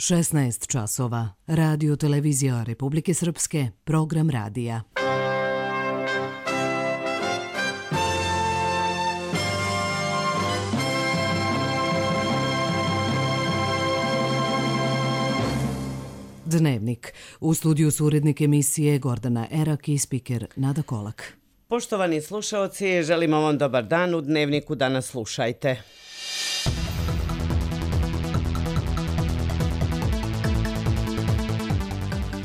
16 časova. Radio Televizija Republike Srpske, program radija. Dnevnik. U studiju su urednik emisije Gordana Erak i spiker Nada Kolak. Poštovani slušaoci, želimo vam dobar dan. U Dnevniku danas slušajte.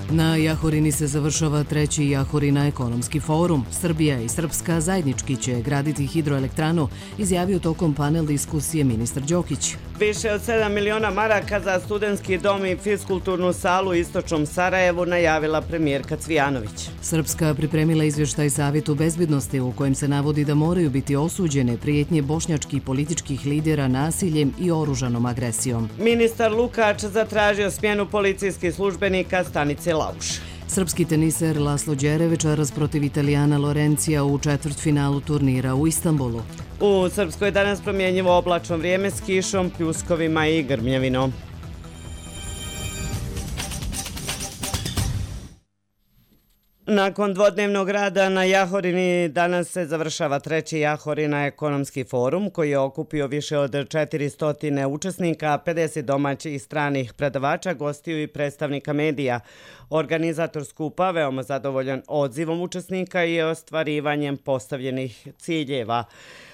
Na Jahorini se završava treći Jahorina ekonomski forum. Srbija i Srpska zajednički će graditi hidroelektranu, izjavio tokom panel diskusije ministar Đokić. Više od 7 miliona maraka za studentski dom i fiskulturnu salu u istočnom Sarajevu najavila premijerka Cvijanović. Srpska pripremila izvještaj Savjetu bezbednosti u kojem se navodi da moraju biti osuđene prijetnje bošnjačkih političkih lidera nasiljem i oružanom agresijom. Ministar Lukač zatražio smjenu policijskih službenika stanice Lauš. Srpski teniser Laslo Đerevičaras protiv Italijana Lorencija u četvrtfinalu turnira u Istanbulu. U Srpskoj danas promjenjivo oblačno vrijeme s kišom, pljuskovima i grmljavinom. Nakon dvodnevnog rada na Jahorini danas se završava treći Jahorina ekonomski forum koji je okupio više od 400 učesnika, 50 domaćih i stranih predavača, gostiju i predstavnika medija. Organizator skupa veoma zadovoljan odzivom učesnika i ostvarivanjem postavljenih ciljeva.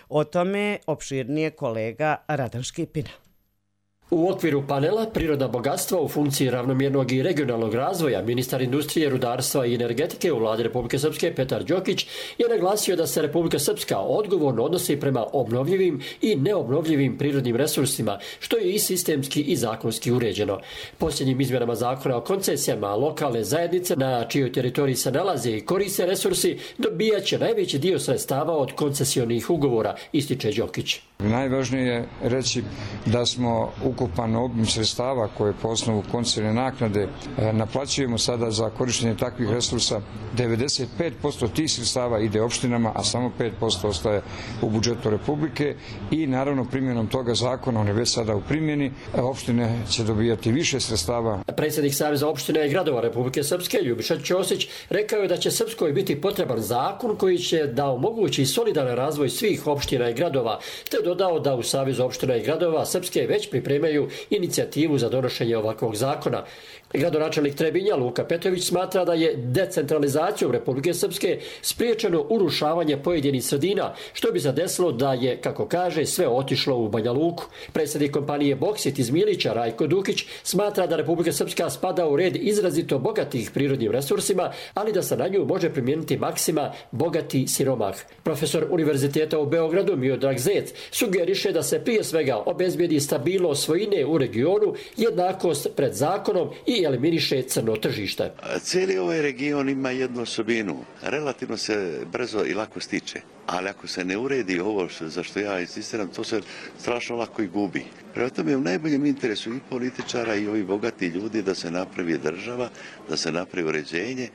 O tome opširnije kolega Radan Škipina. U okviru panela Prirodna bogatstva u funkciji ravnomjernog i regionalnog razvoja, ministar industrije, rudarstva i energetike u vladi Republike Srpske Petar Đokić je naglasio da se Republika Srpska odgovorno odnosi prema obnovljivim i neobnovljivim prirodnim resursima, što je i sistemski i zakonski uređeno. Posljednjim izmjenama zakona o koncesijama lokalne zajednice na čijoj teritoriji se nalaze i koriste resursi dobijat će najveći dio sredstava od koncesionih ugovora, ističe Đokić. Najvažnije je reći da smo ukupan obim sredstava koje po osnovu koncesijne naknade naplaćujemo sada za korištenje takvih resursa. 95% tih sredstava ide opštinama, a samo 5% ostaje u budžetu Republike i naravno primjenom toga zakona, on je već sada u primjeni, opštine će dobijati više sredstava. Predsjednik Saveza opština i gradova Republike Srpske Ljubiša Ćosić rekao je da će Srpskoj biti potreban zakon koji će da omogući solidaran razvoj svih opština i gradova, te dodao da u Savezu opština i gradova Srpske već pripremaju inicijativu za donošenje ovakvog zakona. Gradonačelnik Trebinja Luka Petrović smatra da je decentralizacijom Republike Srpske spriječeno urušavanje pojedinih sredina, što bi se desilo da je, kako kaže, sve otišlo u Banja Luku. Predsjednik kompanije Boksit iz Milića Rajko Dukić smatra da Republika Srpska spada u red izrazito bogatih prirodnim resursima, ali da se na nju može primijeniti maksima bogati siromah. Profesor Univerziteta u Beogradu Miodrag Zec sugeriše da se prije svega obezbijedi stabilnost svojine u regionu, jednakost pred zakonom i eliminiše crno tržište. Cijeli ovaj region ima jednu osobinu. Relativno se brzo i lako stiče. Ali ako se ne uredi ovo za što ja insistiram, to se strašno lako i gubi. Prema tome je u najboljem interesu i političara i ovih bogati ljudi da se napravi država, da se napravi uređenje,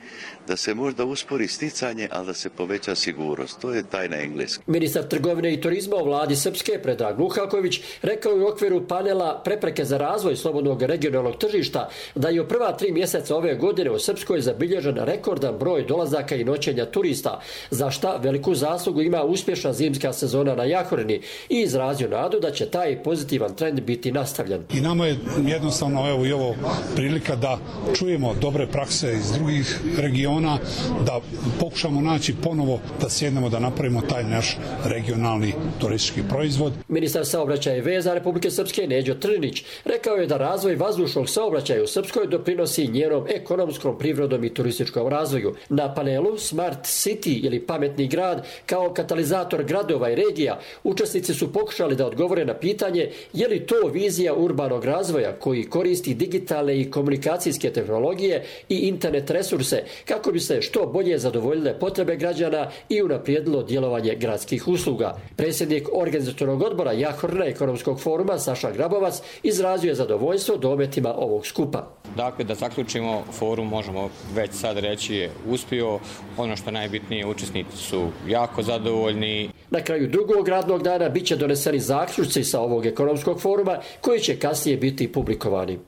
da se možda uspori sticanje, ali da se poveća sigurnost. To je tajna engleska. Ministar trgovine i turizma u vladi Srpske Predrag Luhaković rekao je u okviru panela Prepreke za razvoj slobodnog regionalnog tržišta da je u prva 3 mjeseca ove godine u Srpskoj zabilježen rekordan broj dolazaka i noćenja turista, za šta veliku zaslugu ima uspješna zimska sezona na Jahorini i izrazio nadu da će taj pozitivan trend biti nastavljen. I nama je jednostavno evo i ovo prilika da čujemo dobre prakse iz drugih regiona, da pokušamo naći ponovo da sjednemo da napravimo taj naš regionalni turistički proizvod. Ministar saobraćaja i veza Republike Srpske Neđo Trnić rekao je da razvoj vazdušnog saobraćaja u Srpskoj doprinosi njenom ekonomskom, privrednom i turističkom razvoju. Na panelu Smart City ili pametni grad kao katalizator gradova i regija, učesnici su pokušali da odgovore na pitanje je li to vizija urbanog razvoja koji koristi digitalne i komunikacijske tehnologije i internet resurse kako bi se što bolje zadovoljile potrebe građana i unaprijedilo djelovanje gradskih usluga. Predsjednik organizatornog odbora Jahorina ekonomskog foruma Saša Grabovac izrazio je zadovoljstvo dometima ovog skupa. Dakle, da zaključimo forum, možemo već sad reći je uspio. Ono što najbitnije, učesnici su jako zadovoljni. Na kraju drugog radnog dana bit će doneseni zaključci sa ovog ekonomskog foruma koji će kasnije biti publikovani.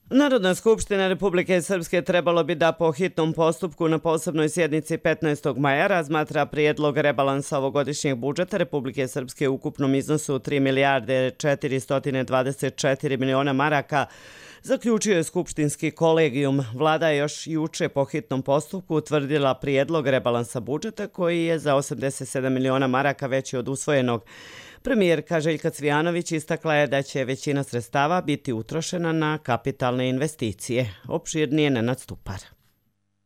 Narodna skupština Republike Srpske trebalo bi da po hitnom postupku na posebnoj sjednici 15. maja razmatra prijedlog rebalansa ovogodišnjeg budžeta Republike Srpske u ukupnom iznosu 3 milijarde 424 miliona maraka, zaključio je skupštinski kolegijum. Vlada je još juče po hitnom postupku utvrdila prijedlog rebalansa budžeta koji je za 87 miliona maraka veći od usvojenog. Premijerka Željka Cvijanović istakla je da će većina sredstava biti utrošena na kapitalne investicije. Opširnije Nenad Stupar.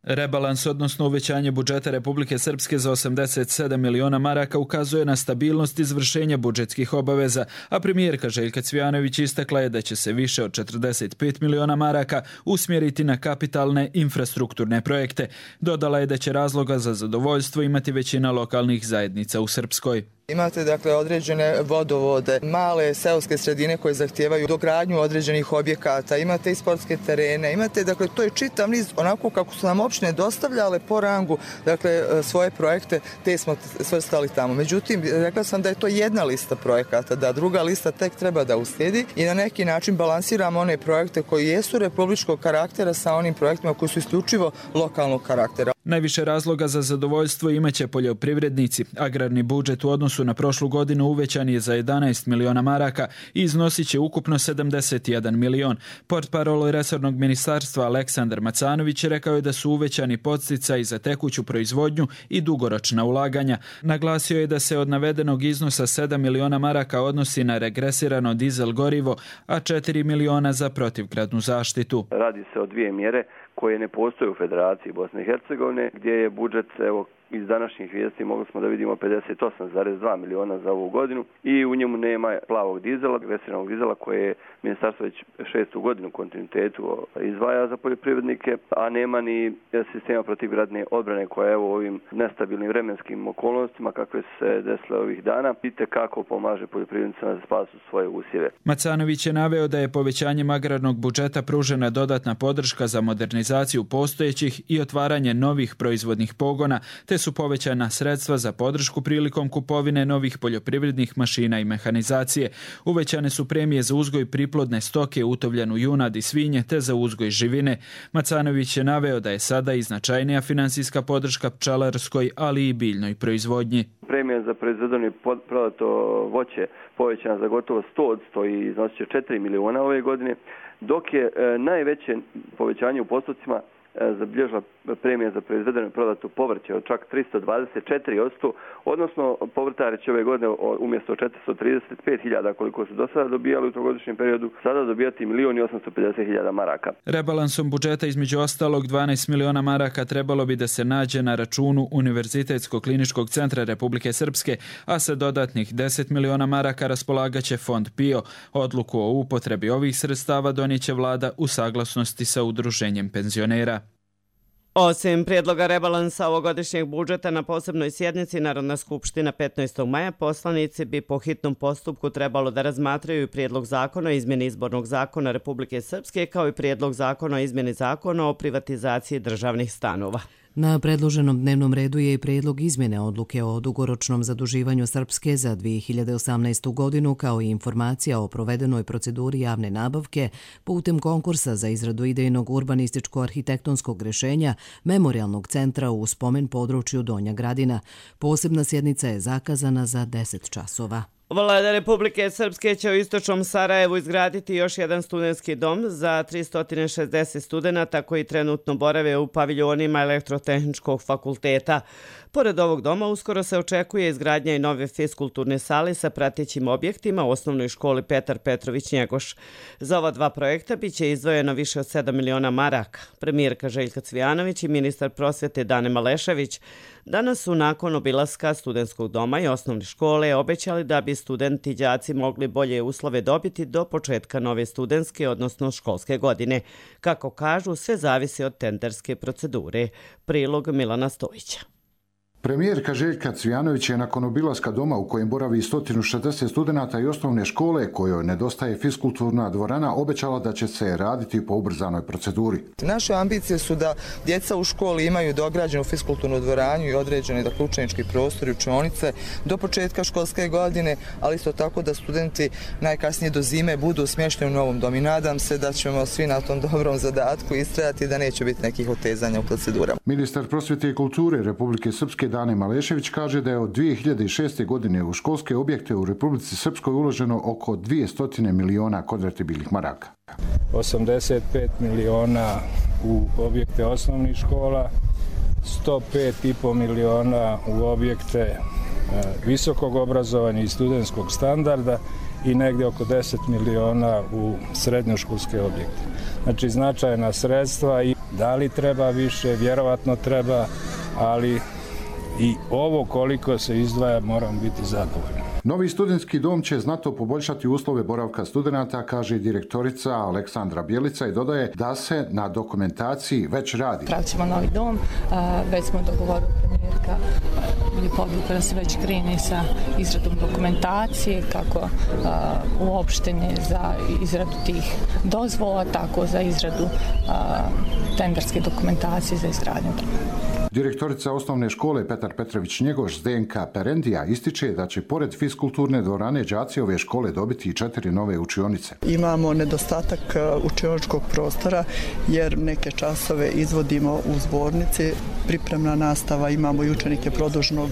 Rebalans, odnosno uvećanje budžeta Republike Srpske za 87 miliona maraka ukazuje na stabilnost izvršenja budžetskih obaveza, a premijerka Željka Cvijanović istakla je da će se više od 45 miliona maraka usmjeriti na kapitalne infrastrukturne projekte. Dodala je da će razloga za zadovoljstvo imati većina lokalnih zajednica u Srpskoj. Imate dakle određene vodovode, male seoske sredine koje zahtijevaju dogradnju određenih objekata, imate i sportske terene, imate dakle to je čitav niz onako kako su nam opštine dostavljale po rangu dakle svoje projekte, te smo svrstali tamo. Međutim, rekla sam da je to jedna lista projekata, da druga lista tek treba da uslijedi i na neki način balansiramo one projekte koji jesu republičkog karaktera sa onim projektima koji su isključivo lokalnog karaktera. Najviše razloga za zadovoljstvo imaće poljoprivrednici. Agrarni budžet u odnosu na prošlu godinu uvećan je za 11 miliona maraka i iznosit će ukupno 71 milion. Portparol resornog ministarstva Aleksandar Macanović rekao je da su uvećani podsticaji za tekuću proizvodnju i dugoročna ulaganja. Naglasio je da se od navedenog iznosa 7 miliona maraka odnosi na regresirano dizel gorivo, a 4 miliona za protivgradnu zaštitu. Radi se o dvije mjere koje ne postoje u Federaciji Bosne i Hercegovine, gdje je budžet, evo, iz današnjih vijesti mogli smo da vidimo 58,2 miliona za ovu godinu i u njemu nema plavog dizela, agresivnog dizela koje je ministarstvo već 6. godinu u kontinuitetu izdvaja za poljoprivrednike, a nema ni sistema protivgradne odbrane koja evo u ovim nestabilnim vremenskim okolnostima kakve se desile ovih dana itekako pomaže poljoprivrednicima da spasu svoje usjeve. Macanović je naveo da je povećanjem agrarnog budžeta pružena dodatna podrška za modernizaciju postojećih i otvaranje novih proizvodnih pogona, te su povećana sredstva za podršku prilikom kupovine novih poljoprivrednih mašina i mehanizacije. Uvećane su premije za uzgoj priplodne stoke, utovljenu junad i svinje, te za uzgoj živine. Macanović je naveo da je sada i značajnija finansijska podrška pčelarskoj, ali i biljnoj proizvodnji. Premija za proizvedeno i prodato voće povećana za gotovo 100% i iznosit će 4 miliona ove godine, dok je najveće povećanje u postocima zabilježila premija za proizvedeno i prodato povrće od čak 324%, odnosno povrtari će ove godine umjesto 435.000 koliko su do sada dobijali u trogodišnjem periodu, sada dobijati 1.850.000 maraka. Rebalansom budžeta između ostalog 12 miliona maraka trebalo bi da se nađe na računu Univerzitetskog kliničkog centra Republike Srpske, a sa dodatnih 10 miliona maraka raspolagaće Fond PIO. Odluku o upotrebi ovih sredstava donijeće vlada u saglasnosti sa udruženjem penzionera. Osim prijedloga rebalansa ovogodišnjeg budžeta na posebnoj sjednici Narodna skupština 15. maja, poslanici bi po hitnom postupku trebalo da razmatraju prijedlog zakona o izmjeni izbornog zakona Republike Srpske kao i prijedlog zakona o izmjeni zakona o privatizaciji državnih stanova. Na predloženom dnevnom redu je i prijedlog izmjene odluke o dugoročnom zaduživanju Srpske za 2018. godinu kao i informacija o provedenoj proceduri javne nabavke putem konkursa za izradu idejnog urbanističko-arhitektonskog rješenja Memorijalnog centra u spomen području Donja Gradina. Posebna sjednica je zakazana za 10 časova. Vlada Republike Srpske će u istočnom Sarajevu izgraditi još jedan studentski dom za 360 studenata koji trenutno borave u paviljonima Elektrotehničkog fakulteta. Pored ovog doma uskoro se očekuje izgradnja i nove fiskulturne sale sa pratećim objektima u osnovnoj školi Petar Petrović Njegoš. Za ova dva projekta biće izdvojeno više od 7 miliona maraka. Premijerka Željka Cvijanović i ministar prosvjete Dane Malešević danas su nakon obilaska studentskog doma i osnovne škole obećali da bi studenti i đaci mogli bolje uslove dobiti do početka nove studentske, odnosno školske godine. Kako kažu, sve zavisi od tenderske procedure. Prilog Milana Stojića. Premijerka Željka Cvijanović je nakon obilaska doma u kojem boravi 160 studenata i osnovne škole kojoj nedostaje fiskulturna dvorana obećala da će se raditi po ubrzanoj proceduri. Naše ambicije su da djeca u školi imaju dograđenu fiskulturnu dvoranu i određene učenički prostor i učionice do početka školske godine, ali isto tako da studenti najkasnije do zime budu smješteni u novom domu. I nadam se da ćemo svi na tom dobrom zadatku istrajati da neće biti nekih otezanja u procedurama. Ministar prosvjete i kulture Republike Srpske Dane Malešević kaže da je od 2006. godine u školske objekte u Republici Srpskoj uloženo oko 200 miliona konvertibilnih maraka. 85 miliona u objekte osnovnih škola, 105,5 miliona u objekte visokog obrazovanja i studentskog standarda i negdje oko 10 miliona u srednjoškolske objekte. Znači značajna sredstva i da li treba više, vjerovatno treba, ali i ovo koliko se izdvaja moram biti zadovoljan. Novi studentski dom će znatno poboljšati uslove boravka studenata, kaže direktorica Aleksandra Bjelica i dodaje da se na dokumentaciji već radi. Pravit ćemo novi dom, već smo dogovorili premijerka Ljubovika da se već krene sa izradom dokumentacije, kako uopštenje za izradu tih dozvola, tako za izradu tenderske dokumentacije za izgradnju doma. Direktorica osnovne škole Petar Petrović-Njegoš Zdenka Perendija ističe da će pored fiskulturne dvorane đaci ove škole dobiti i 4 nove učionice. Imamo nedostatak učioničkog prostora jer neke časove izvodimo u zbornici, pripremna nastava, imamo i učenike produžnog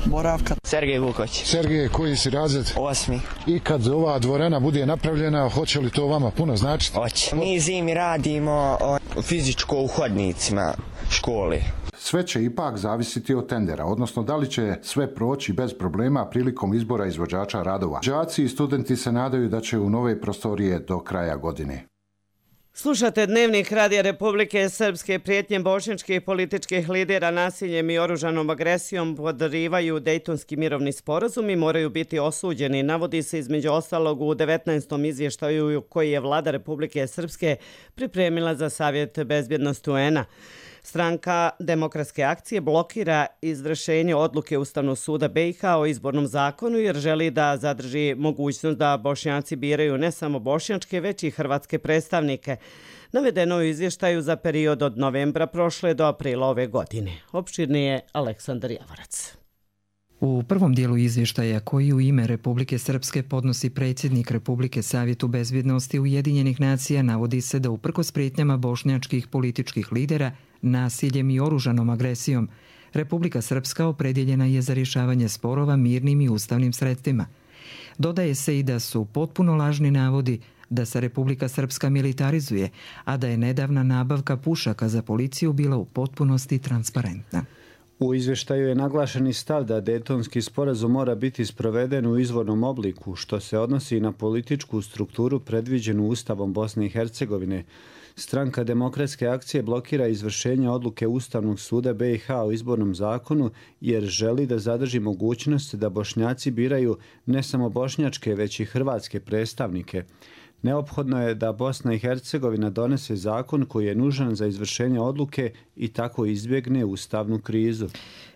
boravka. Sergej Vuković. Sergej, koji si razred? 8. I kad ova dvorana bude napravljena, hoće li to vama puno značiti? Hoće. Mi zimi radimo fizičko u hodnicima škole. Sve će ipak zavisiti od tendera, odnosno da li će sve proći bez problema prilikom izbora izvođača radova. Đaci i studenti se nadaju da će u nove prostorije do kraja godine. Slušate Dnevnik Radija Republike Srpske. Prijetnje bošnjačkih političkih lidera nasiljem i oružanom agresijom podrivaju Dejtonski mirovni sporazum i moraju biti osuđeni. Navodi se između ostalog u 19. izvještaju koji je vlada Republike Srpske pripremila za Savjet bezbjednosti UN-a. Stranka Demokratske akcije blokira izvršenje odluke Ustavnog suda BiH o izbornom zakonu jer želi da zadrži mogućnost da Bošnjaci biraju ne samo bošnjačke, već i hrvatske predstavnike. Navedeno u izvještaju za period od novembra prošle do aprila ove godine. Opširnije je Aleksandar Javorac. U prvom dijelu izvještaja koji u ime Republike Srpske podnosi predsjednik Republike Savjetu bezbjednosti Ujedinjenih nacija navodi se da uprkos prijetnjama bošnjačkih političkih lidera, nasiljem i oružanom agresijom, Republika Srpska opredjeljena je za rješavanje sporova mirnim i ustavnim sredstvima. Dodaje se i da su potpuno lažni navodi da se Republika Srpska militarizuje, a da je nedavna nabavka pušaka za policiju bila u potpunosti transparentna. U izvještaju je naglašeni stav da Dejtonski sporazum mora biti sproveden u izvornom obliku, što se odnosi na političku strukturu predviđenu Ustavom Bosne i Hercegovine. Stranka Demokratske akcije blokira izvršenje odluke Ustavnog suda BiH o izbornom zakonu jer želi da zadrži mogućnost da Bošnjaci biraju ne samo bošnjačke, već i hrvatske predstavnike. Neophodno je da Bosna i Hercegovina donese zakon koji je nužan za izvršenje odluke i tako izbjegne ustavnu krizu.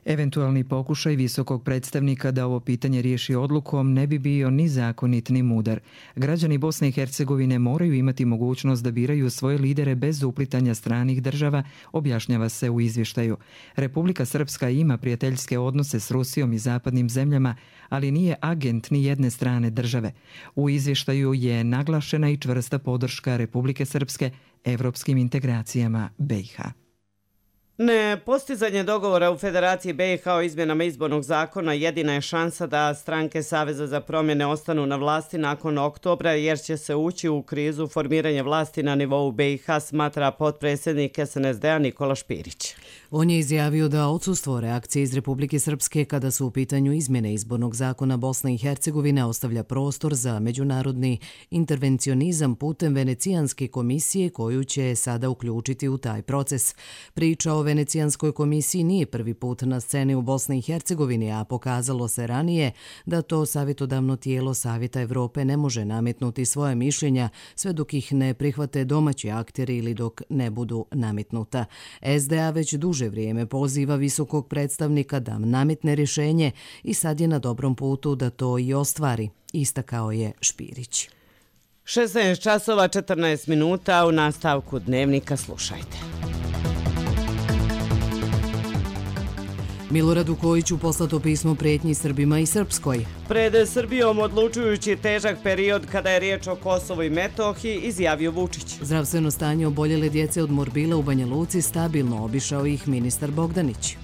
Eventualni pokušaj visokog predstavnika da ovo pitanje riješi odlukom ne bi bio ni zakonit ni mudar. Građani Bosne i Hercegovine moraju imati mogućnost da biraju svoje lidere bez uplitanja stranih država, objašnjava se u izvještaju. Republika Srpska ima prijateljske odnose s Rusijom i zapadnim zemljama, ali nije agent ni jedne strane države. U izvještaju je naglašena i čvrsta podrška Republike Srpske evropskim integracijama BiH. Nepostizanje dogovora u Federaciji BiH o izmjenama izbornog zakona jedina je šansa da stranke Saveza za promjene ostanu na vlasti nakon oktobra jer će se ući u krizu formiranja vlasti na nivou BiH, smatra potpredsjednik SNSD-a Nikola Špirić. On je izjavio da odsustvo reakcije iz Republike Srpske kada su u pitanju izmjene izbornog zakona Bosne i Hercegovine ostavlja prostor za međunarodni intervencionizam putem Venecijanske komisije koju će sada uključiti u taj proces. Priča o Venecijanskoj komisiji nije prvi put na sceni u Bosni i Hercegovini, a pokazalo se ranije da to savjetodavno tijelo Savjeta Evrope ne može nametnuti svoje mišljenja sve dok ih ne prihvate domaći akteri ili dok ne budu nametnuta. SDA već duže duže vrijeme poziva visokog predstavnika da nametne rješenje i sad je na dobrom putu da to i ostvari, istakao je Špirić. 16 časova 14 minuta u nastavku dnevnika slušajte. Miloradu Kojiću poslato pismo prijetnji Srbima i Srpskoj. Pred Srbijom odlučujući težak period kada je riječ o Kosovu i Metohiji, izjavio Vučić. Zdravstveno stanje oboljele djece od morbila u Banja Luci stabilno, obišao ih ministar Bogdanić.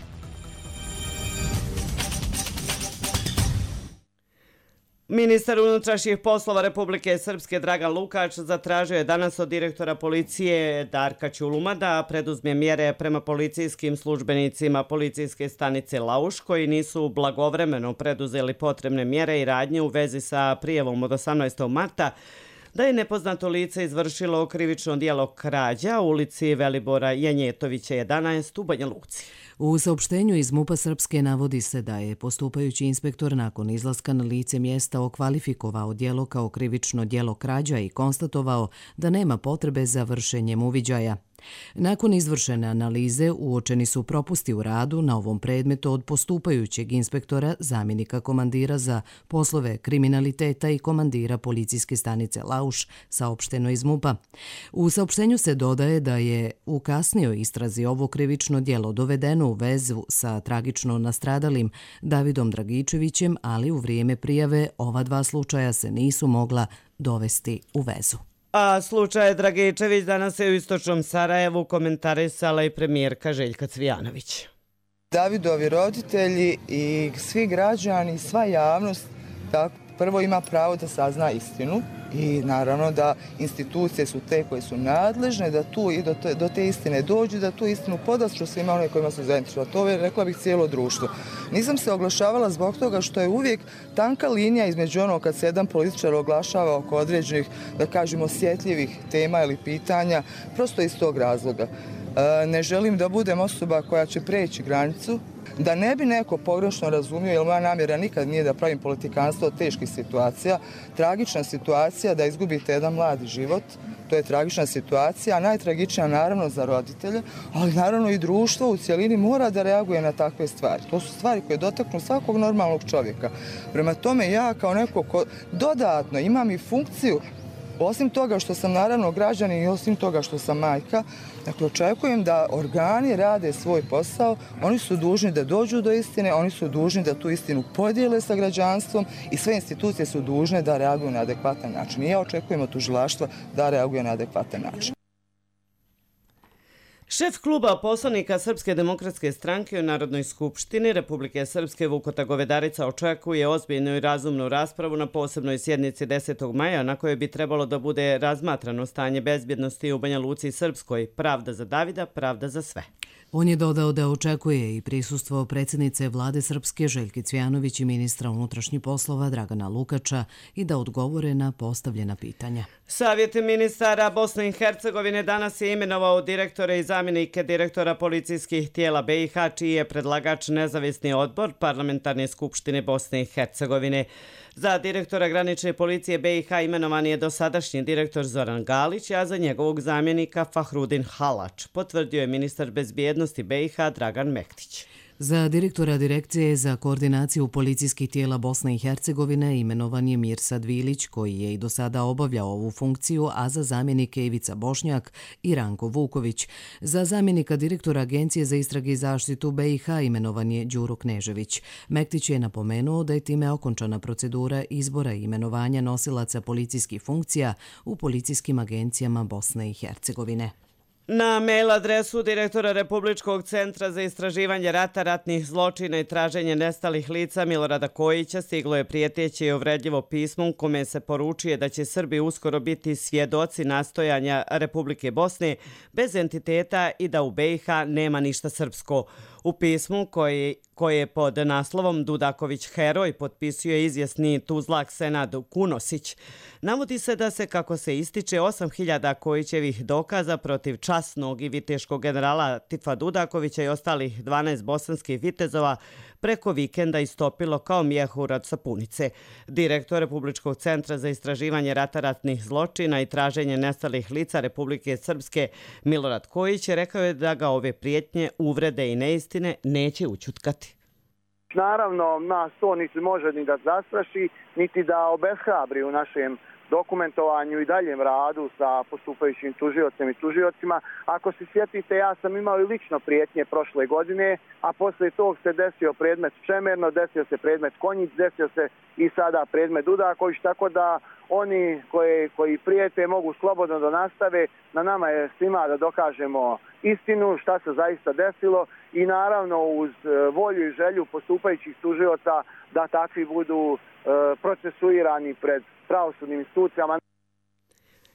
Ministar unutrašnjih poslova Republike Srpske Dragan Lukač zatražio je danas od direktora policije Darka Ćuluma da preduzme mjere prema policijskim službenicima policijske stanice Lauš koji nisu blagovremeno preduzeli potrebne mjere i radnje u vezi sa prijavom od 18. marta da je nepoznato lice izvršilo krivično djelo krađa u ulici Velibora Janjetovića 11 u Banja Luci. U saopštenju iz MUP-a Srpske navodi se da je postupajući inspektor nakon izlaska na lice mjesta okvalifikovao djelo kao krivično djelo krađa i konstatovao da nema potrebe za vršenjem uviđaja. Nakon izvršene analize uočeni su propusti u radu na ovom predmetu od postupajućeg inspektora, zamjenika komandira za poslove kriminaliteta i komandira policijske stanice Lauš, saopšteno iz MUP-a. U saopštenju se dodaje da je u kasnijoj istrazi ovo krivično djelo dovedeno u vezu sa tragično nastradalim Davidom Dragičevićem, ali u vrijeme prijave ova dva slučaja se nisu mogla dovesti u vezu. A slučaj Dragičević danas je u istočnom Sarajevu komentarisala i premijerka Željka Cvijanović. Davidovi roditelji i svi građani, sva javnost prvo ima pravo da sazna istinu i naravno da institucije su te koje su nadležne da tu i do te istine dođu, da tu istinu podastru svima one kojima su zainteresovani. To je, rekla bih, cijelo društvo. Nisam se oglašavala zbog toga što je uvijek tanka linija između ono kad se jedan političar oglašava oko određenih, da kažemo, osjetljivih tema ili pitanja, prosto iz tog razloga. Ne želim da budem osoba koja će preći granicu, da ne bi neko pogrešno razumio, jer moja namjera nikad nije da pravim politikanstvo od teških situacija. Tragična situacija da izgubite jedan mladi život, to je tragična situacija, a najtragičnija naravno za roditelje, ali naravno i društvo u cjelini mora da reaguje na takve stvari. To su stvari koje dotaknu svakog normalnog čovjeka. Prema tome ja kao neko ko dodatno imam i funkciju, osim toga što sam naravno građanin i osim toga što sam majka, dakle očekujem da organi rade svoj posao, oni su dužni da dođu do istine, oni su dužni da tu istinu podijele sa građanstvom i sve institucije su dužne da reaguju na adekvatan način. I ja očekujem od tužilaštva da reaguje na adekvatan način. Šef kluba poslanika Srpske demokratske stranke u Narodnoj skupštini Republike Srpske Vukota Govedarica očekuje ozbiljnu i razumnu raspravu na posebnoj sjednici 10. maja na kojoj bi trebalo da bude razmatrano stanje bezbjednosti u Banja Luci i Srpskoj. Pravda za Davida, pravda za sve. On je dodao da očekuje i prisustvo predsjednice vlade Srpske Željke Cvijanović i ministra unutrašnjih poslova Dragana Lukača i da odgovore na postavljena pitanja. Savjet ministara Bosne i Hercegovine danas je imenovao direktore i zamjenike direktora policijskih tijela BiH, čiji je predlagač nezavisni odbor Parlamentarne skupštine Bosne i Hercegovine. Za direktora granične policije BiH imenovan je dosadašnji direktor Zoran Galić, a za njegovog zamjenika Fahrudin Halač, potvrdio je ministar bezbjednosti BiH Dragan Mektić. Za direktora Direkcije za koordinaciju policijskih tijela Bosne i Hercegovine imenovan je Mirsad Vilić, koji je i do sada obavljao ovu funkciju, a za zamjenike Ivica Bošnjak i Ranko Vuković. Za zamjenika direktora Agencije za istrage i zaštitu BiH imenovan je Đuro Knežević. Mektić je napomenuo da je time okončana procedura izbora i imenovanja nosilaca policijskih funkcija u policijskim agencijama Bosne i Hercegovine. Na mail adresu direktora Republičkog centra za istraživanje rata, ratnih zločina i traženje nestalih lica Milorada Kojića stiglo je prijeteće i uvredljivo pismo u kome se poručuje da će Srbi uskoro biti svjedoci nastojanja Republike Bosne bez entiteta i da u BiH nema ništa srpsko. U pismu koje pod naslovom Dudaković heroj potpisuje izvjesni Tuzlak Senad Kunosić, navodi se da se, kako se ističe, 8000 Kojićevih dokaza protiv časnog i viteškog generala Tifa Dudakovića i ostalih 12 bosanskih vitezova preko vikenda istopilo kao mjehur od sapunice. Direktor Republičkog centra za istraživanje rata, ratnih zločina i traženje nestalih lica Republike Srpske Milorad Kojić rekao je da ga ove prijetnje, uvrede i neistine neće ućutkati. Naravno, nas to niti može ni da zastraši, niti da obeshrabri u našem dokumentovanju i daljem radu sa postupajućim tužiocem i tužiocima. Ako se sjetite, ja sam imao i lično prijetnje prošle godine, a posle tog se desio predmet Čemerno, desio se predmet Konjic, desio se i sada predmet Dudaković, tako da oni koji prijete mogu slobodno da nastave. Na nama je svima da dokažemo istinu, šta se zaista desilo i naravno uz volju i želju postupajućih tužioca da takvi budu procesuirani pred pravosudnim institucijama.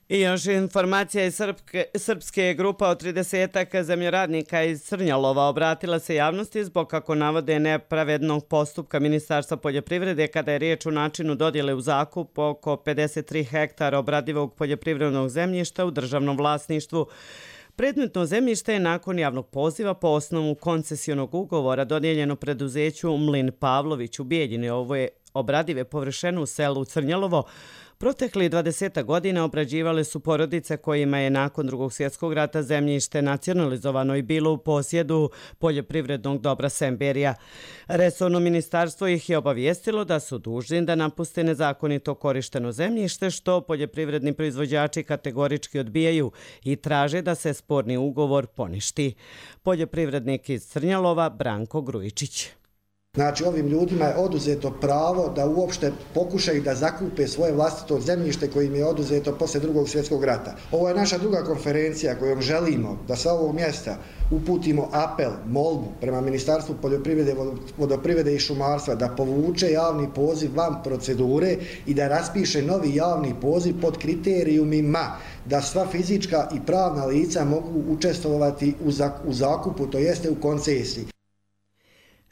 I još informacija iz srpske grupa od 30 zemljoradnika iz Crnjalova obratila se javnosti zbog, kako navode, nepravednog postupka Ministarstva poljoprivrede kada je riječ o načinu dodjele u zakup oko 53 hektara obradivog poljoprivrednog zemljišta u državnom vlasništvu. Predmetno zemljište je nakon javnog poziva po osnovu koncesionog ugovora dodijeljeno preduzeću Mlin Pavlović u Bijeljini. Ovo je obradive površine u selu Crnjalovo. Protekli 20 godina obrađivale su porodice kojima je nakon Drugog svjetskog rata zemljište nacionalizovano i bilo u posjedu poljoprivrednog dobra Semberija. Resorno ministarstvo ih je obavijestilo da su dužni da napuste nezakonito korišteno zemljište, što poljoprivredni proizvođači kategorički odbijaju i traže da se sporni ugovor poništi. Poljoprivrednik iz Crnjalova Branko Grujičić. Znači, ovim ljudima je oduzeto pravo da uopšte pokušaju da zakupe svoje vlastito zemljište koje im je oduzeto poslije Drugog svjetskog rata. Ovo je naša druga konferencija kojom želimo da sa ovog mjesta uputimo apel, molbu prema Ministarstvu poljoprivrede, vodoprivrede i šumarstva da povuče javni poziv van procedure i da raspiše novi javni poziv pod kriterijumima da sva fizička i pravna lica mogu učestvovati u zakupu, to jeste u koncesiji.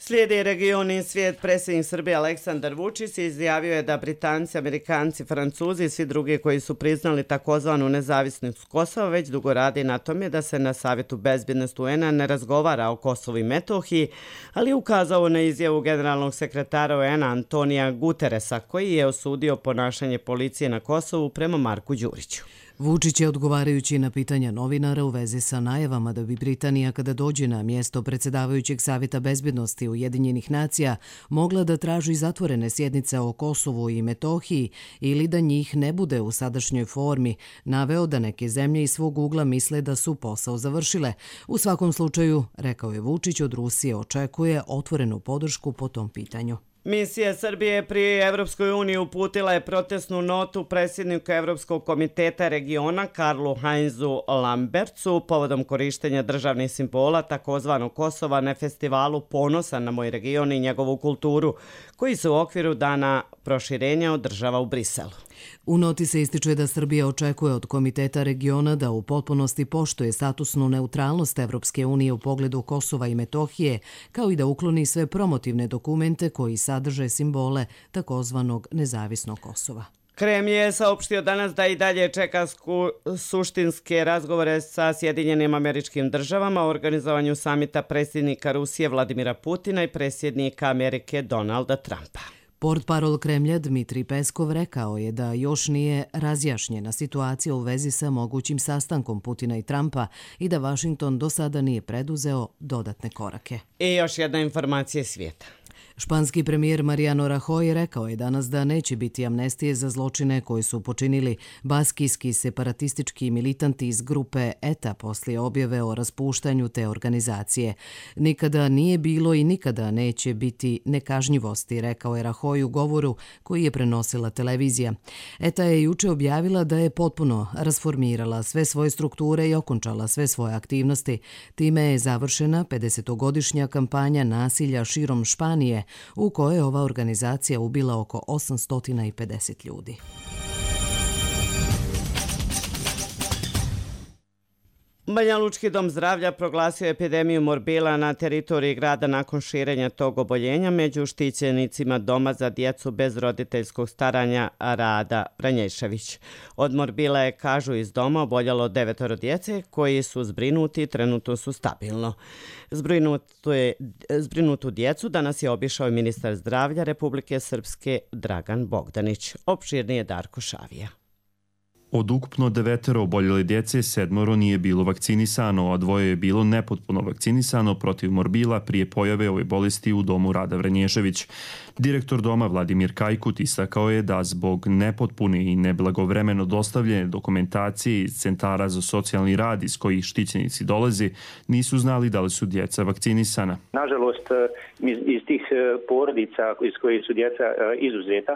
Slijedi regioni svijet. Predsjednik Srbije Aleksandar Vučić izjavio je da Britanci, Amerikanci, Francuzi i svi drugi koji su priznali takozvanu nezavisnost Kosova već dugo radi na tome da se na Savjetu bezbjednosti UN-a ne razgovara o Kosovu i Metohiji, ali je ukazao na izjavu generalnog sekretara UN-a Antonija Guteresa, koji je osudio ponašanje policije na Kosovu prema Marku Đuriću. Vučić je, odgovarajući na pitanja novinara u vezi sa najavama da bi Britanija, kada dođe na mjesto predsjedavajućeg Savjeta bezbjednosti Ujedinjenih nacija, mogla da traži zatvorene sjednice o Kosovu i Metohiji ili da njih ne bude u sadašnjoj formi, naveo da neke zemlje iz svog ugla misle da su posao završile. U svakom slučaju, rekao je Vučić, od Rusije očekuje otvorenu podršku po tom pitanju. Misija Srbije pri Evropskoj uniji uputila je protestnu notu predsjedniku Evropskog komiteta regiona Karlu Heinzu Lambertsu povodom korištenja državnih simbola takozvanog Kosova na festivalu Ponosa na moj region i njegovu kulturu, koji se u okviru dana proširenja održava u Briselu. U noti se ističe da Srbija očekuje od Komiteta regiona da u potpunosti poštuje statusnu neutralnost Evropske unije u pogledu Kosova i Metohije, kao i da ukloni sve promotivne dokumente koji sadrže simbole takozvanog nezavisnog Kosova. Kremlj je saopštio danas da i dalje čeka suštinske razgovore sa Sjedinjenim Američkim Državama o organizovanju samita predsjednika Rusije Vladimira Putina i predsjednika Amerike Donalda Trumpa. Portparol Kremlja Dmitrij Peskov rekao je da još nije razjašnjena situacija u vezi sa mogućim sastankom Putina i Trumpa i da Vašington do sada nije preduzeo dodatne korake. I još jedna informacija svijeta. Španski premijer Mariano Rajoy rekao je danas da neće biti amnestije za zločine koje su počinili baskijski separatistički militanti iz grupe ETA poslije objave o raspuštanju te organizacije. Nikada nije bilo i nikada neće biti nekažnjivosti, rekao je Rajoy u govoru koji je prenosila televizija. ETA je juče objavila da je potpuno rasformirala sve svoje strukture i okončala sve svoje aktivnosti. Time je završena 50-godišnja kampanja nasilja širom Španije, u kojoj je ova organizacija ubila oko 850 ljudi. Banja Lučki dom zdravlja proglasio epidemiju morbila na teritoriji grada nakon širenja tog oboljenja među štićenicima doma za djecu bez roditeljskog staranja Rada Vranješević. Od morbila je, kažu iz doma, oboljelo 9 djece koji su zbrinuti i trenutno su stabilno. Zbrinutu djecu danas je obišao i ministar zdravlja Republike Srpske Dragan Bogdanić. Opširnije Darko Šavija. Od ukupno 9 oboljele djece, 7 nije bilo vakcinisano, a 2 je bilo nepotpuno vakcinisano protiv morbila prije pojave ove bolesti u domu Rada Vranješević. Direktor doma Vladimir Kajkut istakao je da zbog nepotpune i neblagovremeno dostavljene dokumentacije iz centara za socijalni rad iz kojih štićenici dolaze, nisu znali da li su djeca vakcinisana. Nažalost, iz tih porodica iz kojih su djeca izuzeta,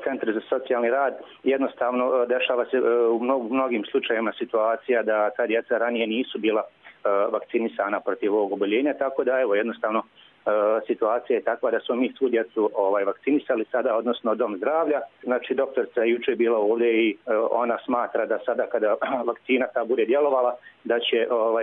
centri za socijalni rad, jednostavno dešava se u mnogim slučajevima situacija da ta djeca ranije nisu bila vakcinisana protiv ovog oboljenja, tako da evo jednostavno situacija je takva da smo mi svu djecu vakcinisali sada, odnosno dom zdravlja. Znači doktorica je jučer bila ovdje i ona smatra da sada kada vakcina ta bude djelovala da će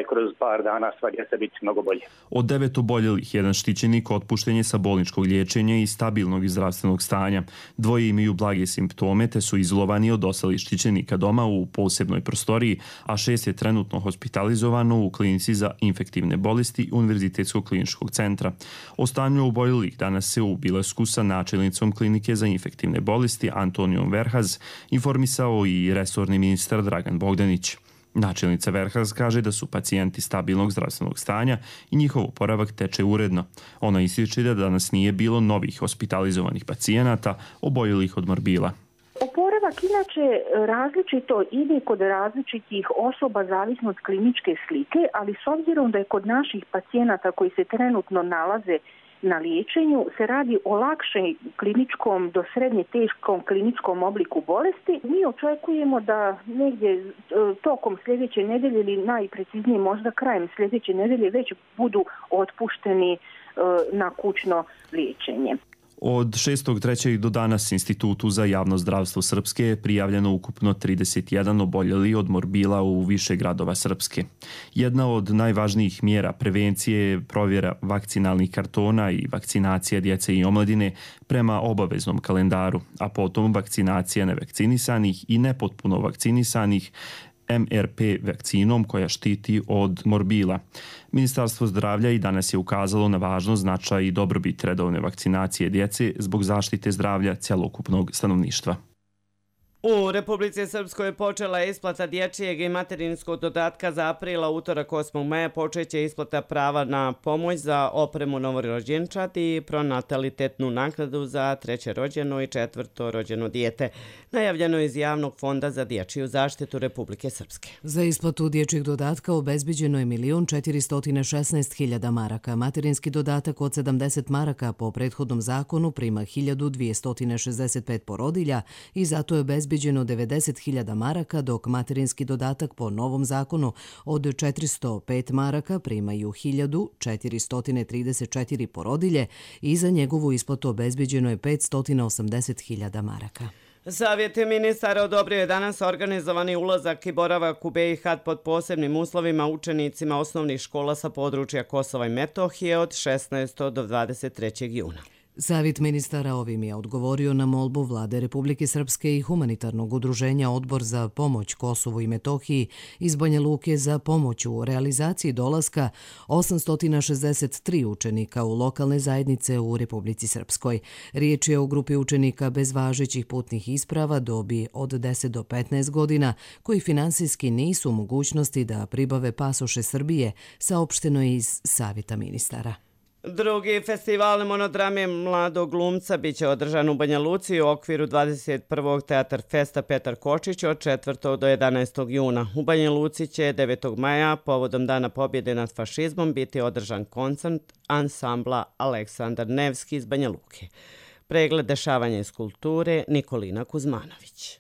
kroz par dana sva djeca biti mnogo bolje. Od 9 oboljelih, jedan štićenik otpušten je sa bolničkog liječenja i stabilnog zdravstvenog stanja. 2 imaju blage simptome te su izolovani od ostalih štićenika doma u posebnoj prostoriji, a 6 je trenutno hospitalizovano u klinici za infektivne bolesti Univerzitetskog kliničkog centra. O stanju oboljelih danas se u bilasku sa načelnicom klinike za infektivne bolesti Antonijom Verhaz informisao i resorni ministar Dragan Bogdanić. Načelnica Verhaz kaže da su pacijenti stabilnog zdravstvenog stanja i njihov oporavak teče uredno. Ona ističe da danas nije bilo novih hospitalizovanih pacijenata oboljelih od morbila. Oporavak inače različito ide kod različitih osoba zavisno od kliničke slike, ali s obzirom da je kod naših pacijenata koji se trenutno nalaze na liječenju se radi o lakšem kliničkom do srednje teškom kliničkom obliku bolesti, mi očekujemo da negdje tokom sljedeće nedelje ili najpreciznije možda krajem sljedeće nedelje već budu otpušteni na kućno liječenje. Od 6.3. do danas Institutu za javno zdravstvo Srpske je prijavljeno ukupno 31 oboljeli od morbila u više gradova Srpske. Jedna od najvažnijih mjera prevencije je provjera vakcinalnih kartona i vakcinacija djece i omladine prema obaveznom kalendaru, a potom vakcinacija nevakcinisanih i nepotpuno vakcinisanih MRP vakcinom koja štiti od morbila. Ministarstvo zdravlja i danas je ukazalo na važnost, značaj i dobrobit redovne vakcinacije djece zbog zaštite zdravlja cjelokupnog stanovništva. U Republici Srpskoj je počela isplata dječjeg i materinskog dodatka za aprila. Utorak 8. maja počeće isplata prava na pomoć za opremu novorođenčad i pronatalitetnu naknadu za 3. rođeno i 4. rođeno dijete. Najavljeno iz Javnog fonda za dječju zaštitu Republike Srpske. Za isplatu dječjeg dodatka obezbeđeno je 1.416.000 maraka. Materinski dodatak od 70 maraka po prethodnom zakonu prima 1.265 porodilja i zato je obezbeđeno 90.000 maraka, dok materinski dodatak po novom zakonu od 405 maraka primaju 1.434 porodilje i za njegovu isplatu obezbeđeno je 580.000 maraka. Savjet ministara odobrio je danas organizovani ulazak i boravak u BiH pod posebnim uslovima učenicima osnovnih škola sa područja Kosova i Metohije od 16. do 23. juna. Savjet ministara ovim je odgovorio na molbu Vlade Republike Srpske i humanitarnog udruženja Odbor za pomoć Kosovu i Metohiji iz Banja Luke za pomoć u realizaciji dolaska 863 učenika u lokalne zajednice u Republici Srpskoj. Riječ je o grupi učenika bez važećih putnih isprava dobi od 10 do 15 godina koji finansijski nisu u mogućnosti da pribave pasoše Srbije, saopšteno je iz Savjeta ministara. Drugi festival monodrame mladog glumca biće održan u Banja Luci u okviru 21. Teatar Festa Petar Kočić od 4. do 11. juna. U Banja Luci će 9. maja povodom Dana pobjede nad fašizmom biti održan koncert ansambla Aleksandar Nevski iz Banja Luke. Pregled dešavanja iz kulture Nikolina Kuzmanović.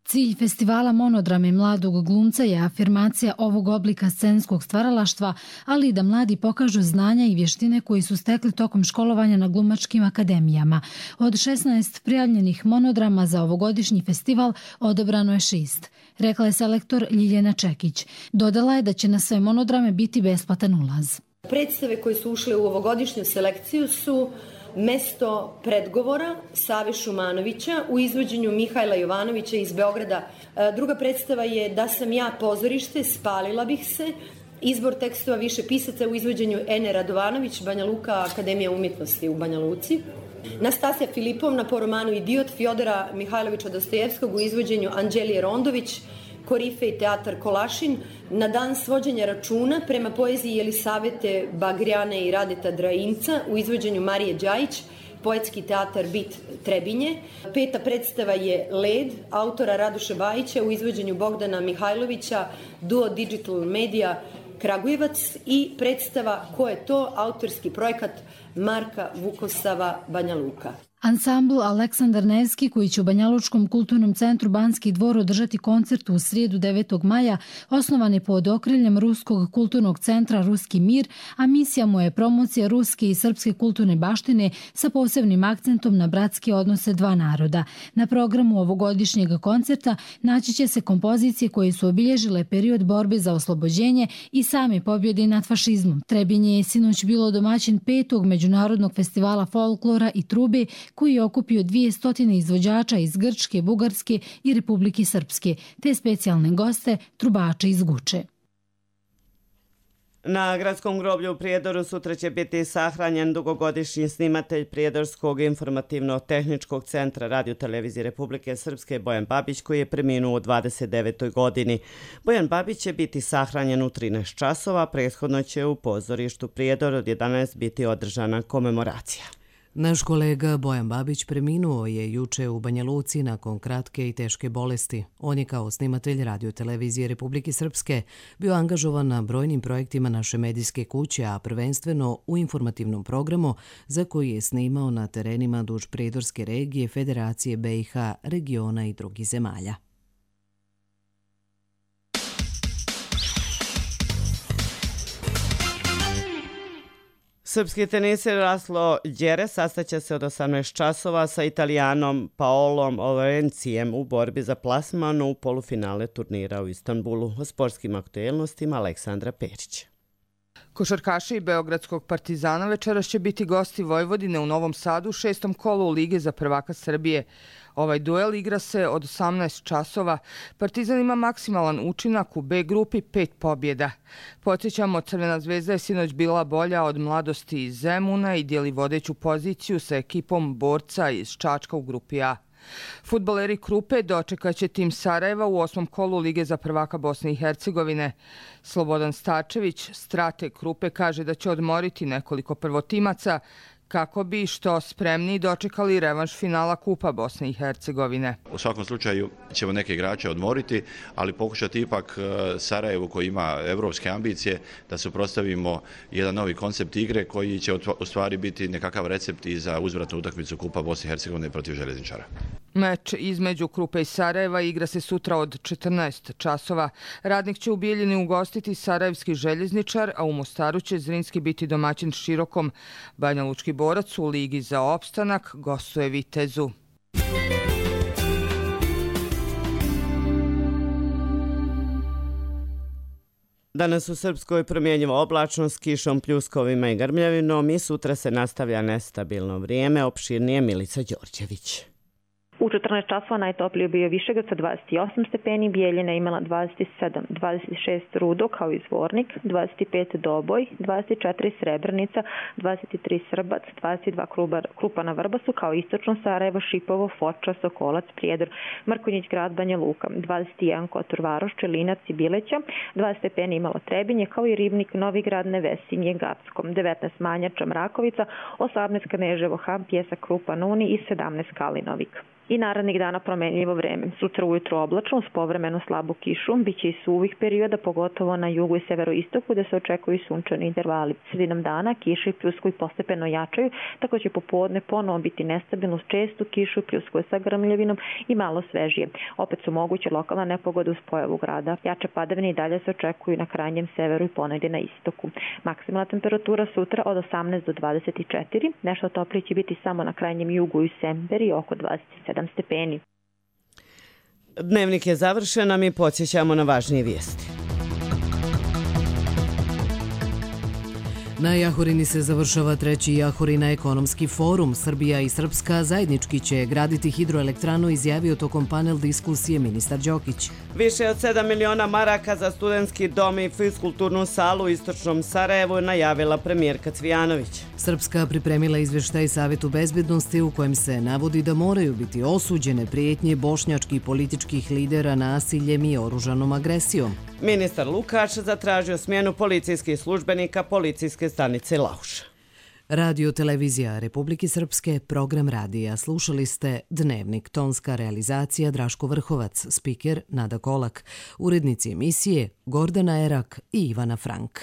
Cilj festivala Monodrame mladog glumca je afirmacija ovog oblika scenskog stvaralaštva, ali i da mladi pokažu znanja i vještine koji su stekli tokom školovanja na glumačkim akademijama. Od 16 prijavljenih monodrama za ovogodišnji festival odabrano je 6, rekla je selektor Ljiljana Čekić. Dodala je da će na sve monodrame biti besplatan ulaz. Predstave koje su ušle u ovogodišnju selekciju su Mesto predgovora Save Šumanovića u izvođenju Mihajla Jovanovića iz Beograda. Druga predstava je Da sam ja pozorište, spalila bih se. Izbor tekstova više pisaca u izvođenju Ene Radovanović, Banja Luka, Akademija umjetnosti u Banja Luci. Nastasija Filipovna po romanu Idiot Fjodora Mihajlovića Dostojevskog u izvođenju Anđelije Rondović, Korifej teatar Kolašin, Na dan svođenja računa prema poeziji Jelisavete Bagrijane i Radeta Drainca u izvođenju Marije Đajić, Poetski teatar Bit Trebinje. 5. predstava je Led, autora Radoša Bajića u izvođenju Bogdana Mihajlovića, Duo Digital Media Kragujevac i predstava Ko je to, autorski projekat Marka Vukosava Banja Luka. Ansambl Aleksandar Nevski, koji će u Banjalučkom kulturnom centru Banski dvor održati koncert u srijedu 9. maja, osnovan je pod okriljem Ruskog kulturnog centra Ruski mir, a misija mu je promocija ruske i srpske kulturne baštine sa posebnim akcentom na bratske odnose dva naroda. Na programu ovogodišnjeg koncerta naći će se kompozicije koje su obilježile period borbe za oslobođenje i same pobjede nad fašizmom. Trebinje je sinoć bilo domaćin 5. međunarodnog festivala folklora i trube, koji je okupio 200 izvođača iz Grčke, Bugarske i Republike Srpske, te specijalne goste, trubače iz Guče. Na gradskom groblju u Prijedoru sutra će biti sahranjen dugogodišnji snimatelj Prijedorskog informativno-tehničkog centra Radio-televizije Republike Srpske Bojan Babić, koji je preminuo u 29. godini. Bojan Babić će biti sahranjen u 13 časova, prethodno će u pozorištu Prijedor od 11 biti održana komemoracija. Naš kolega Bojan Babić preminuo je juče u Banja Luci nakon kratke i teške bolesti. On je kao snimatelj Radio-televizije Republike Srpske bio angažovan na brojnim projektima naše medijske kuće, a prvenstveno u informativnom programu za koji je snimao na terenima duž Prijedorske regije, Federacije BiH, regiona i drugih zemalja. Srpski teniser Laslo Đere sastaće se od 18 časova sa Italijanom Paolom Lorencijem u borbi za plasman u polufinale turnira u Istanbulu. O sportskim aktuelnostima Aleksandra Perić. Košarkaši Beogradskog Partizana večeras će biti gosti Vojvodine u Novom Sadu u 6. kolu Lige za prvaka Srbije. Ovaj duel igra se od 18 časova. Partizan ima maksimalan učinak u B grupi 5 pobjeda. Podsjećamo, Crvena zvezda je sinoć bila bolja od Mladosti iz Zemuna i dijeli vodeću poziciju sa ekipom borca iz Čačka u grupi A. Fudbaleri Krupe dočekaće tim Sarajeva u 8. kolu Lige za prvaka Bosne i Hercegovine. Slobodan Stačević, strateg Krupe, kaže da će odmoriti nekoliko prvotimaca kako bi što spremniji dočekali revanš finala Kupa Bosne i Hercegovine. U svakom slučaju ćemo neke igrače odmoriti, ali pokušati ipak Sarajevu, koji ima evropske ambicije, da suprotstavimo jedan novi koncept igre koji će u stvari biti nekakav recept i za uzvratnu utakmicu Kupa Bosne i Hercegovine protiv Željezničara. Meč između Krupe i Sarajeva igra se sutra od 14 časova. Radnik će u Bijeljini ugostiti Sarajevski Željezničar, a u Mostaru će Zrinski biti domaćin Širokom. Banjalučki borac u Ligi za opstanak gostuje Vitezu. Danas u Srpskoj promjenjiva oblačnost, kišom, pljuskovima i grmljavinom i sutra se nastavlja nestabilno vrijeme. Opširnije Milica Đorđević. U 14 časova najtoplije bio Višegrad sa 28 stepeni, Bijeljina imala 27, 26 Rudo kao i Zvornik, 25 Doboj, 24 Srebrenica, 23 Srbac, 22 Krupa na Vrbasu kao istočno Sarajevo, Šipovo, Foča, Sokolac, Prijedor, Mrkonjić grad, Banja Luka, 21 Kotor Varoš, Čelinac i Bileća, 20 stepeni imalo Trebinje kao i Ribnik, Novigrad, Nevesinje, Gackom, 19 Manjača, Mrakovica, 18 Kneževo, Ham, Pjesak, Krupa, Nuni i 17 Kalinovik. I narednih dana promenljivo vreme. Sutra ujutro oblačno uz povremenu slabu kišu, biće i suvih perioda, pogotovo na jugu i severoistoku, da se očekuju sunčani intervali. Sredinom dana kiše i pljuskovi postepeno jačaju, tako će popodne ponovo biti nestabilno uz čestu kišu, pljuskove sa grmljavinom i malo svežije. Opet su moguće lokalna nepogoda uz pojavu grada. Jače padavine i dalje se očekuju na krajnjem severu i ponegdje na istoku. Maksimalna temperatura sutra od 18 do 24, nešto toplije će biti samo na krajnjem jugu i Semberi oko 27 stepeni. Dnevnik je završen, a mi podsjećamo na važnije vijesti. Na Jahorini se završava 3. Jahorina ekonomski forum. Srbija i Srpska zajednički će graditi hidroelektranu, izjavio tokom panel diskusije ministar Đokić. Više od 7 miliona maraka za studentski dom i fiskulturnu salu u istočnom Sarajevu najavila premijerka Cvijanović. Srpska pripremila izveštaj Savetu bezbednosti u kojem se navodi da moraju biti osuđene prijetnje bošnjačkih političkih lidera nasiljem i oružanom agresijom. Ministar Lukač zatražio smjenu policijskih službenika policijske stanice Lauš. Radio televizija Republike Srpske, program radija. Slušali ste Dnevnik, tonska realizacija Draško Vrhovac, spiker Nada Kolak, urednici emisije Gordana Erak i Ivana Frank.